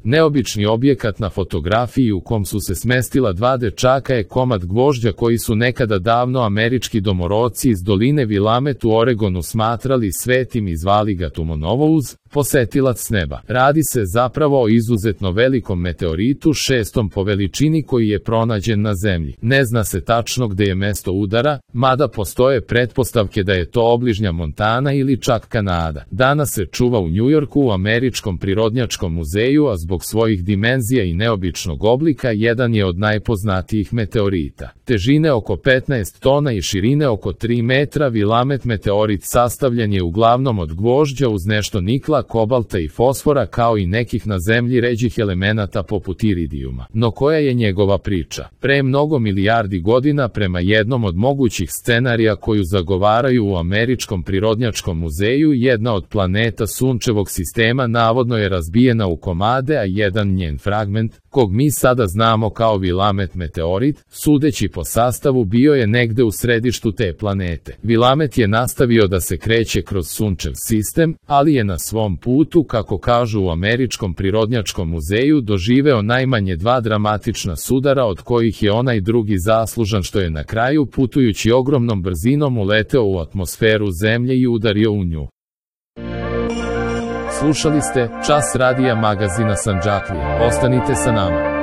Neobični objekat na fotografiji u kom su se smestila dva dečaka je komad gvožđa koji su nekada davno američki domorodci iz doline Willamette u Oregonu smatrali svetim i zvali ga Tumonovouz, posetilac s neba. Radi se zapravo o izuzetno velikom meteoritu, šestom po veličini koji je pronađen na zemlji. Ne zna se tačno gde je mesto udara, mada postoje pretpostavke da je to obližnja Montana ili čak Kanada. Danas se čuva u Njujorku u Američkom prirodnjačkom muzeju, a zbog svojih dimenzija i neobičnog oblika jedan je od najpoznatijih meteorita. Težine oko 15 tona i širine oko 3 metra, Willamette meteorit sastavljen je uglavnom od gvožđa uz nešto nikla, kobalta i fosfora kao i nekih na zemlji ređih elemenata poput iridijuma. No koja je njegova priča? Pre mnogo milijardi godina, prema jednom od mogućih scenarija koju zagovaraju u Američkom prirodnjačkom muzeju, jedna od planeta Sunčevog sistema navodno je razbijena u komade, a jedan njen fragment, kog mi sada znamo kao Willamette meteorit, sudeći po sastavu bio je negde u središtu te planete. Willamette je nastavio da se kreće kroz Sunčev sistem, ali je na svom putu, kako kažu u Američkom prirodnjačkom muzeju, doživeo najmanje dva dramatična sudara, od kojih je onaj drugi zaslužan što je na kraju, putujući ogromnom brzinom, uleteo u atmosferu Zemlje i udario u nju. Slušali ste Čas radija magazina Sandžaklija. Ostanite sa nama.